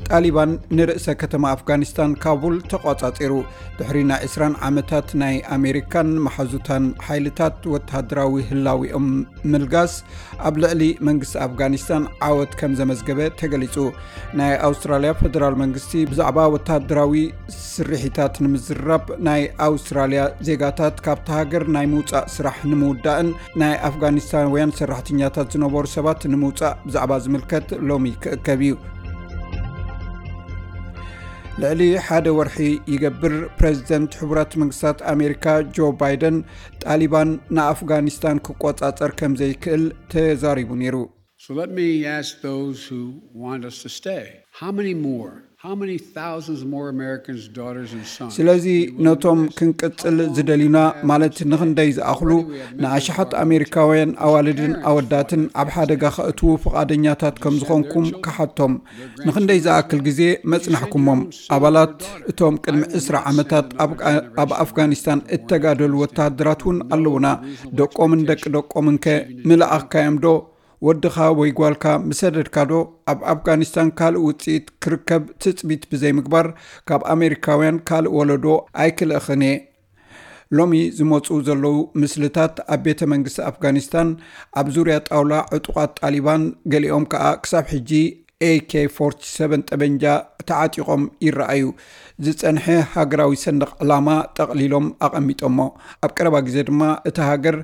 ጣሊባን ንርእሰ ከተማ ኣፍጋኒስታን ካቡል ተቋጻጺሩ። ድሕሪ ናይ ዕስራን ዓመታት ናይ ኣሜሪካን መሓዙታን ሓይልታት ወተሃደራዊ ህላዊኦም ምልጋስ፣ ኣብ ልዕሊ መንግስቲ ኣፍጋኒስታን ዓወት ከም ዘመዝገበ ተገሊጹ። ናይ ኣውስትራልያ ፈደራል መንግስቲ ብዛዕባ ወተሃደራዊ ስርሒታት ንምዝራብ ናይ ኣውስትራልያ ዜጋታት ካብቲ ሃገር ናይ ምውጻእ ስራሕ ንምውዳእን ናይ ኣፍጋኒስታንውያን ሰራሕተኛታት ዝነበሩ ሰባት ንምውጻእ ብዛዕባ ዝምልከት ሎሚ ክእከብ እዩ። ልዕሊ ሓደ ወርሒ ይገብር፣ ፕሬዚደንት ሕቡራት መንግስታት ኣሜሪካ ጆ ባይደን ጣሊባን ንኣፍጋኒስታን ክቆጻጸር ከም ዘይክእል ተዛሪቡ ነይሩ። So let me ask those who want us to stay. How many more? How many thousands more Americans, daughters and sons? ስለዚ ነቶም ክንቅጽል ዝደልዩና፣ ማለት ንኽንደይ ዝኣኽሉ ንኣሽሓት ኣሜሪካውያን ኣዋልድን ኣወዳትን ኣብ ሓደጋ ከእትዉ ፍቓደኛታት ከም ዝኾንኩም ክሓቶም። ንኽንደይ ዝኣክል ግዜ መጽናሕኩሞም? ኣባላት እቶም ቅድሚ ዕስራ ዓመታት ኣብ ኣፍጋኒስታን እተጋደሉ ወተሃደራት እውን ኣለዉና። ደቆምን ደቂ ደቆምን ከ ምልኣኽካዮም ዶ? ወድኻ ወይ ጓልካ ምሰደድካ ዶ ኣብ ኣፍጋኒስታን ካልእ ውጽኢት ክርከብ ትጽቢት ብዘይምግባር ካብ ኣሜሪካውያን ካልእ ወለዶ ኣይክልእኽን እየ። ሎሚ ዝመጹ ዘለዉ ምስልታት ኣብ ቤተ መንግስቲ ኣፍጋኒስታን ኣብ ዙርያ ጣውላ ዕጡቓት ጣሊባን፣ ገሊኦም ከኣ ክሳብ ሕጂ ኤ ኬ ፎርቲ ሰቨን ጠበንጃ ተዓጢቖም ይረኣዩ። ዝጸንሐ ሃገራዊ ሰንደቕ ዕላማ ጠቕሊሎም ኣቐሚጦሞ። ኣብ ቀረባ ግዜ ድማ እታ ሃገር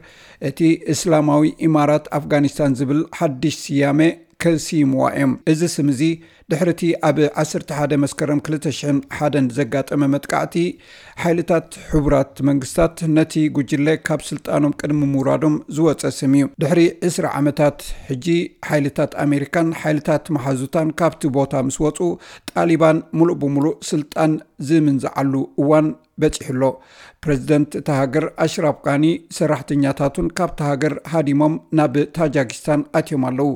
እቲ እስላማዊ ኢማራት ኣፍጋኒስታን ዝብል ሓድሽ ስያመ ከስይምዋ እዮም። እዚ ስም እዚ ድሕሪ እቲ ኣብ ዓሰርተ ሓደ መስከረም ክልተ ሽሕን ሓደን ዘጋጠመ መጥቃዕቲ ሓይልታት ሕቡራት መንግስታት ነቲ ጉጅለ ካብ ስልጣኖም ቅድሚ ምውራዶም ዝወጸ ስም እዩ። ድሕሪ ዕስራ ዓመታት ሕጂ ሓይልታት ኣሜሪካን ሓይልታት መሓዙታን ካብቲ ቦታ ምስ ወጹ፣ ጣሊባን ሙሉእ ብሙሉእ ስልጣን ዝምንዝዓሉ እዋን በጺሑ ኣሎ። ፕረዚደንት እታ ሃገር ኣሽራፍ ጋኒ ሰራሕተኛታቱን ካብታ ሃገር ሃዲሞም ናብ ታጃኪስታን ኣትዮም ኣለዉ።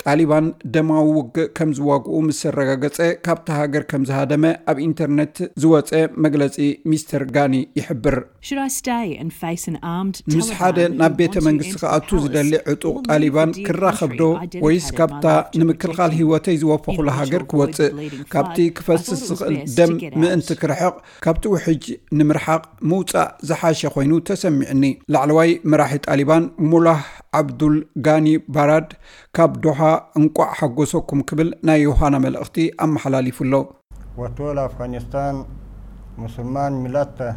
ጣሊባን ደማዊ ውግእ ከም ዝዋግኡ ምስ ኣረጋገጸ፣ ካብታ ሃገር ከም ዝሃደመ ኣብ ኢንተርነት ዝወጸ መግለጺ ሚስተር ጋኒ ይሕብር። Should I stay and face an armed ምስ ሓደ ናብ ቤተ መንግስቲ ክኣቱ ዝደሊ ዕጡቕ ጣሊባን ክራኸብ ዶ፣ ወይስ ካብታ ንምክልኻል ህይወተይ ዝወፈኹላ ሃገር ክወጽእ? ካብቲ ክፈስስ ዝኽእል ደም ምእንቲ ክርሕቕ፣ ካብቲ ውሕጅ ንምርሓቕ ምውጻእ ዝሓሸ ኮይኑ ተሰሚዕኒ። ላዕለዋይ መራሒ ጣሊባን ሙላህ ዓብዱል ጋኒ ባራድ ካብ ዶሃ እንቋዕ ሓጎሰኩም ክብል ናይ ዮሃና መልእኽቲ ኣመሓላሊፉ ኣሎ። وطول أفغانستان مسلمان ملته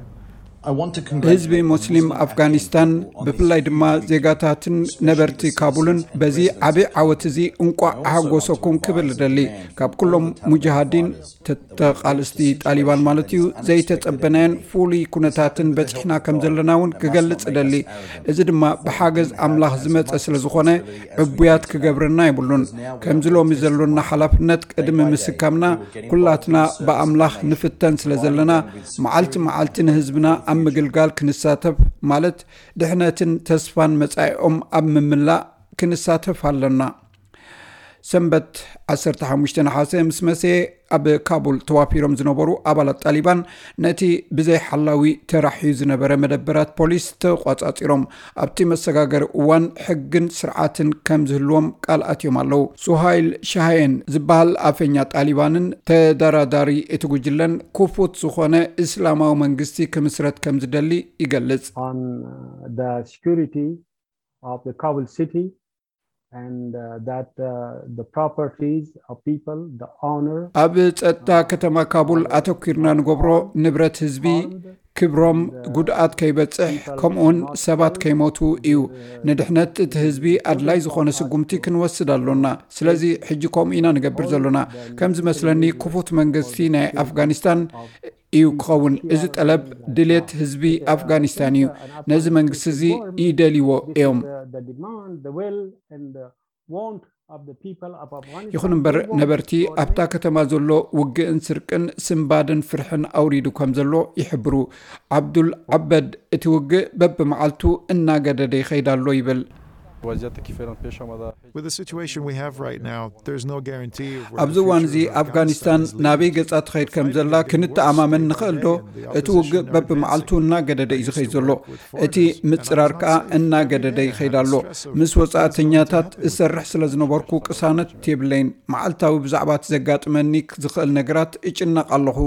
ህዝቢ ሙስሊም ኣፍጋኒስታን፣ ብፍላይ ድማ ዜጋታትን ነበርቲ ካቡልን በዚ ዓቢ ዓወት እዚ እንቋዕ ኣሓጎሰኩም ክብል እደሊ። ካብ ኩሎም ሙጃሃዲን፣ ተቃልስቲ ጣሊባን ማለት እዩ፣ ዘይተጸበናዮን ፍሉይ ኩነታትን በጺሕና ከም ዘለና እውን ክገልጽ እደሊ። እዚ ድማ ብሓገዝ ኣምላኽ ዝመጸ ስለ ዝኾነ ዕቡያት ክገብረና የብሉን። ከምዚ ሎሚ ዘሎና ሓላፍነት ቅድሚ ምስካምና ኩላትና ብኣምላኽ ንፍተን ስለ ዘለና፣ መዓልቲ መዓልቲ ንህዝብና ኣብ ምግልጋል ክንሳተፍ፣ ማለት ድሕነትን ተስፋን መጻኢኦም ኣብ ምምላእ ክንሳተፍ ኣለና። ሰንበት ዓሰርተ ሓሙሽተ ነሓሰ ምስ መሰየ፣ ኣብ ካቡል ተዋፊሮም ዝነበሩ ኣባላት ጣሊባን ነቲ ብዘይ ሓላዊ ተራሕዩ ዝነበረ መደበራት ፖሊስ ተቋጻጺሮም። ኣብቲ መሰጋገሪ እዋን ሕግን ስርዓትን ከም ዝህልዎም ቃል ኣትዮም ኣለዉ። ሱሃይል ሻሃየን ዝበሃል ኣፈኛ ጣሊባንን ተደራዳሪ እቲ ጉጅለን፣ ክፉት ዝኾነ እስላማዊ መንግስቲ ክምስረት ከም ዝደሊ ይገልጽ። on uh, the security of the Kabul city and uh, that uh, the properties of people, the honor. ኣብ ጸጥታ ከተማ ካቡል ኣተኲርና ንገብሮ፣ ንብረት ህዝቢ፣ ክብሮም ጉድኣት ከይበጽሕ፣ ከምኡውን ሰባት ከይሞቱ እዩ። ንድሕነት እቲ ህዝቢ ኣድላይ ዝኾነ ስጉምቲ ክንወስድ ኣሎና። ስለዚ ሕጂ ከምኡ ኢና ንገብር ዘሎና። ከም ዝመስለኒ ክፉት መንግስቲ ናይ ኣፍጋኒስታን እዩ ክኸውን። እዚ ጠለብ ድሌት ህዝቢ ኣፍጋኒስታን እዩ። ነዚ መንግስቲ እዚ ይደልይዎ እዮም። The demand, the will, and the want of the people of Afghanistan. ይኹን እምበር ነበርቲ ኣብታ ከተማ ዘሎ ውግእን ስርቅን ስንባድን ፍርሕን ኣውሪዱ ከም ዘሎ ይሕብሩ። ዓብዱል ዓበድ እቲ ውግእ በብመዓልቱ እናገደደ ይኸይድ ኣሎ ይብል። O vaziyette ki felon peşamada. With the situation we have right now, there's no guarantee of where ኣብዚ the እዋን future እዚ of ኣፍጋኒስታን Afghanistan is ናበይ leading. ገጻ ትኸይድ ከም ዘላ ክንተኣማመን ንኽእል ዶ? እቲ ውግእ በብመዓልቱ እናገደደ እዩ ዝኸይድ ዘሎ። እቲ ምጽራር ከኣ እናገደደ ይኸይድ ኣሎ። ምስ ወጻእተኛታት እሰርሕ ስለ ዝነበርኩ ቅሳነት የብለይን። መዓልታዊ ብዛዕባ እቲ ዘጋጥመኒ ዝኽእል ነገራት እጭነቕ ኣለኹ።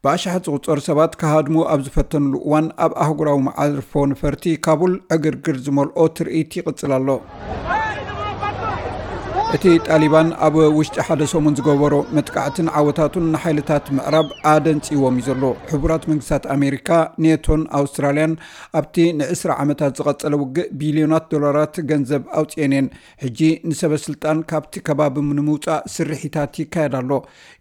ብኣሽሓት ዝቑጸሩ ሰባት ክሃድሙ ኣብ ዝፈተንሉ እዋን ኣብ ኣህጉራዊ መዓርፎ ነፈርቲ ካቡል ዕግርግር ዝመልኦ ትርኢት ይቕጽል ኣሎ። እቲ ጣሊባን ኣብ ውሽጢ ሓደ ሰሙን ዝገበሮ መጥቃዕትን ዓወታቱን ንሓይልታት ምዕራብ ኣደንጺዎም እዩ ዘሎ። ሕቡራት መንግስታት ኣሜሪካ፣ ኔቶን ኣውስትራልያን ኣብቲ ንዕስራ ዓመታት ዝቐጸለ ውግእ ቢልዮናት ዶላራት ገንዘብ ኣውጽኤን እየን። ሕጂ ንሰበ ስልጣን ካብቲ ከባቢ ንምውጻእ ስርሒታት ይካየድ ኣሎ።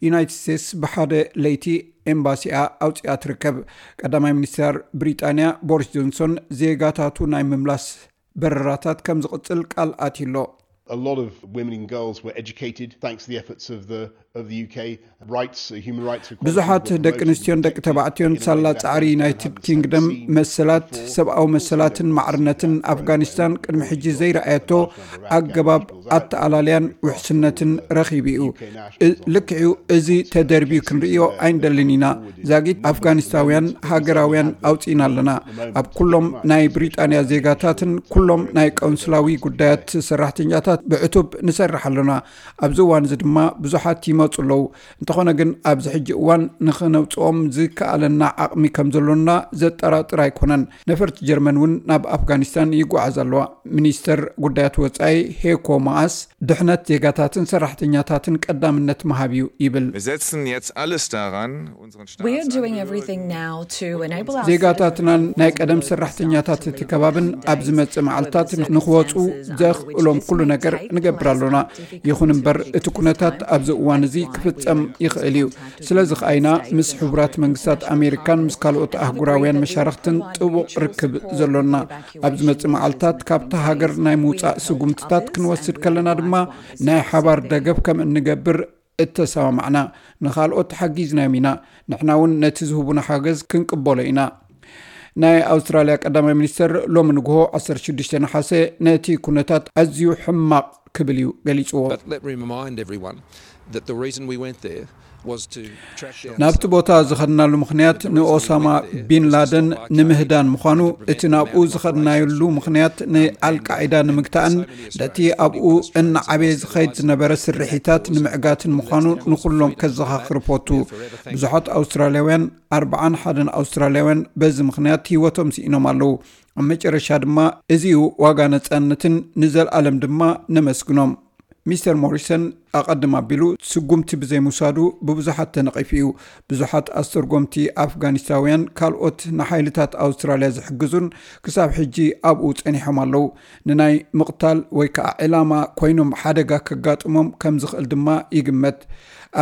ዩናይትድ ስቴትስ ብሓደ ለይቲ ኤምባሲኣ ኣውጺኣ ትርከብ። ቀዳማይ ሚኒስተር ብሪጣንያ ቦሪስ ጆንሶን ዜጋታቱ ናይ ምምላስ በረራታት ከም ዝቕጽል ቃል ኣትዩ ኣሎ። A lot of women and girls were educated thanks to the efforts of the of the U K. Rights, uh, human rights. ብዙሓት ደቂ ኣንስትዮን ደቂ ተባዕትዮን ሳላ ጻዕሪ ዩናይትድ ኪንግደም መሰላት፣ ሰብኣዊ መሰላትን ማዕርነትን ኣፍጋኒስታን ቅድሚ ሕጂ ዘይረኣየቶ ኣገባብ ኣተኣላልያን ውሕስነትን ረኺቡ እዩ። እ- ልክዕዩ፣ እዚ ተደርብዩ ክንርእዮ ኣይንደልን ኢና። ዛጊት ኣፍጋኒስታውያን ሃገራውያን ኣውጺእና ኣለና። ኣብ ኩሎም ናይ ብሪጣንያ ዜጋታትን ኩሎም ናይ ቀውንስላዊ ጉዳያት ሰራሕተኛታት ብዕቱብ ንሰርሕ ኣለና። ኣብዚ እዋን እዚ ድማ ብዙሓት ይመጹ ኣለዉ። እንተኾነ ግን ኣብዚ ሕጂ እዋን ንኽነውጽኦም ዝከኣለና ዓቕሚ ከም ዘሎና ዘጠራጥር ኣይኮነን። ነፈርቲ ጀርመን እውን ናብ ኣፍጋኒስታን ይጓዓዝ ኣለዋ። ሚኒስተር ጉዳያት ወጻኢ ሄኮ ማኣስ ድሕነት ዜጋታትን ሰራሕተኛታትን ቀዳምነት ምሃብ እዩ ይብል። Wir setzen jetzt alles daran, unseren We're doing Staatsangehörigen everything now to enable our ዜጋታትናን ናይ ቀደም ሰራሕተኛታት እቲ ከባብን ኣብ ዝመጽእ መዓልታት ንኽወጹ ዘኽእሎም ኩሉ ነገር ንገብር ኣሎና። ይኹን እምበር እቲ ኩነታት ኣብዚ እዋን እዚ ክፍጸም ይኽእል እዩ። ስለዚ ከኣይና ምስ ሕቡራት መንግስታት ኣሜሪካን ምስ ካልኦት ኣህጉራውያን መሻርኽትን ጥቡቕ ርክብ ዘሎና። ኣብ ዝመጽእ መዓልታት ካብታ ሃገር ናይ ምውጻእ ስጉምትታት ክንወስድ ከለና ድማ ናይ ሓባር ደገፍ ከም እንገብር እተሰማማዕና። ንኻልኦት ሓጊዝናዮም ኢና። ንሕና እውን ነቲ ዝህቡና ሓገዝ ክንቅበሎ ኢና። ናይ ኣውስትራልያ ቀዳማይ ሚኒስተር ሎሚ ንግሆ ዓሰርተ ሽዱሽተ ነሓሰ ነቲ ኩነታት ኣዝዩ ሕማቕ ክብል እዩ ገሊጽዎ። But let me remind everyone that the reason we went there was to track down ናብቲ ቦታ ዝኸድናሉ ምኽንያት ንኦሳማ ቢን ላደን ንምህዳን ምዃኑ፣ እቲ ናብኡ ዝኸድናየሉ ምኽንያት ንኣልቃዒዳ ንምግታእን ነቲ ኣብኡ እናዓበየ ዝኸይድ ዝነበረ ስርሒታት ንምዕጋትን ምዃኑ ንኹሎም ከዘኻኽር ፈቱ። ብዙሓት ኣውስትራልያውያን፣ ኣርብዓን ሓደን ኣውስትራልያውያን በዚ ምኽንያት ህይወቶም ስኢኖም ኣለዉ። ኣብ መጨረሻ ድማ እዚኡ ዋጋ ነጻነትን ንዘለኣለም ድማ ነመስግኖም። ሚስተር ሞሪሰን ኣቐድም ኣቢሉ ስጉምቲ ብዘይምውሳዱ ብብዙሓት ተነቒፉ እዩ። ብዙሓት ኣስተርጎምቲ ኣፍጋኒስታውያን ካልኦት ንሓይልታት ኣውስትራልያ ዝሕግዙን ክሳብ ሕጂ ኣብኡ ጸኒሖም ኣለዉ። ንናይ ምቕታል ወይ ከዓ ዕላማ ኮይኖም ሓደጋ ከጋጥሞም ከም ዝኽእል ድማ ይግመት።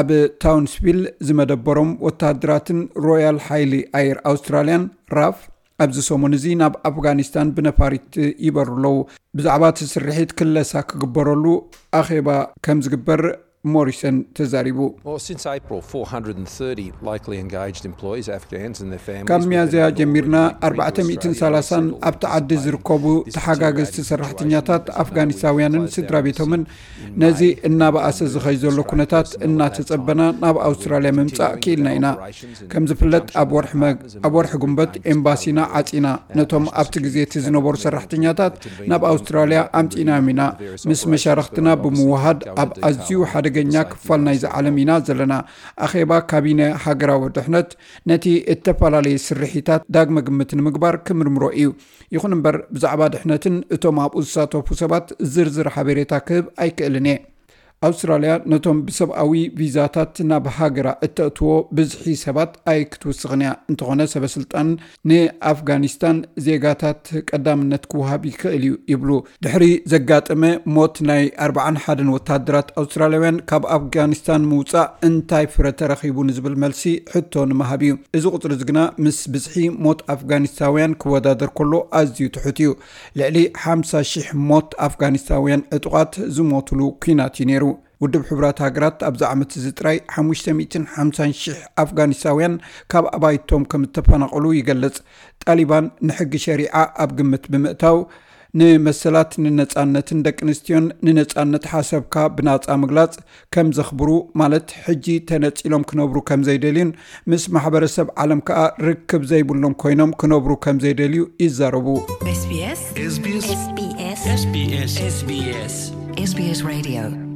ኣብ ታውንስቪል ዝመደበሮም ወታሃደራትን ሮያል ሓይሊ ኣየር ኣውስትራልያን ራፍ ኣብዚ ሰሙን እዚ ናብ ኣፍጋኒስታን ብነፋሪት ይበሩ ኣለዉ። ብዛዕባ እቲ ስርሒት ክለሳ ክግበረሉ ኣኼባ ከም ዝግበር ሞሪሰን ተዛሪቡ። Well, since April, four hundred and thirty likely engaged employees, Afghans and their families. ካብ ሚያዝያ ጀሚርና ኣርባዕተ ሚእትን ሰላሳን ኣብቲ ዓዲ ዝርከቡ ተሓጋገዝቲ ሰራሕተኛታት ኣፍጋኒስታውያንን ስድራ ቤቶምን ነዚ እናበኣሰ ዝኸይ ዘሎ ኩነታት እናተጸበና ናብ ኣውስትራልያ ምምጻእ ክኢልና ኢና። ከም ዝፍለጥ ኣብ ወርሒ መግ ኣብ ወርሒ ጉንበት ኤምባሲና ዓጺና ነቶም ኣብቲ ግዜ እቲ ዝነበሩ ሰራሕተኛታት ናብ ኣውስትራልያ ኣምጺእናዮም ኢና። ምስ መሻርኽትና ብምውሃድ ኣብ ኣዝዩ ሓደገኛ ክፋል ናይዚ ዓለም ኢና ዘለና። ኣኼባ ካቢነ ሃገራዊ ድሕነት ነቲ እተፈላለየ ስርሒታት ዳግመ ግምት ንምግባር ክምርምሮ እዩ። ይኹን እምበር ብዛዕባ ድሕነትን እቶም ኣብኡ ዝሳተፉ ሰባት ዝርዝር ሓበሬታ ክህብ ኣይክእልን እየ። ኣውስትራልያ ነቶም ብሰብኣዊ ቪዛታት ናብ ሃገራ እተእትዎ ብዝሒ ሰባት ኣይክትውስኽን እያ። እንተኾነ ሰበ ስልጣን ንኣፍጋኒስታን ዜጋታት ቀዳምነት ክወሃብ ይኽእል እዩ ይብሉ። ድሕሪ ዘጋጠመ ሞት ናይ ኣርብዓን ሓደን ወታደራት ኣውስትራልያውያን ካብ ኣፍጋኒስታን ምውፃእ እንታይ ፍረ ተረኺቡ ንዝብል መልሲ ሕቶ ንምሃብ እዩ። እዚ ቁፅሪ እዚ ግና ምስ ብዝሒ ሞት ኣፍጋኒስታውያን ክወዳደር ከሎ ኣዝዩ ትሑት እዩ። ልዕሊ ሓምሳ ሺሕ ሞት ኣፍጋኒስታውያን ዕጡቓት ዝሞትሉ ኲናት እዩ ነይሩ። ውድብ ሕቡራት ሃገራት ኣብዚ ዓመት እዚ ጥራይ ሓሙሽተ ሚእትን ሓምሳን ሺሕ ኣፍጋኒስታውያን ካብ ኣባይቶም ከም እተፈናቐሉ ይገልጽ። ጣሊባን ንሕጊ ሸሪዓ ኣብ ግምት ብምእታው ንመሰላት፣ ንነጻነትን ደቂ ኣንስትዮን ንነጻነት ሓሰብካ ብናጻ ምግላጽ ከም ዘኽብሩ፣ ማለት ሕጂ ተነጺሎም ክነብሩ ከም ዘይደልዩን ምስ ማሕበረሰብ ዓለም ከኣ ርክብ ዘይብሎም ኮይኖም ክነብሩ ከም ዘይደልዩ ይዛረቡ። SBS SBS SBS SBS SBS Radio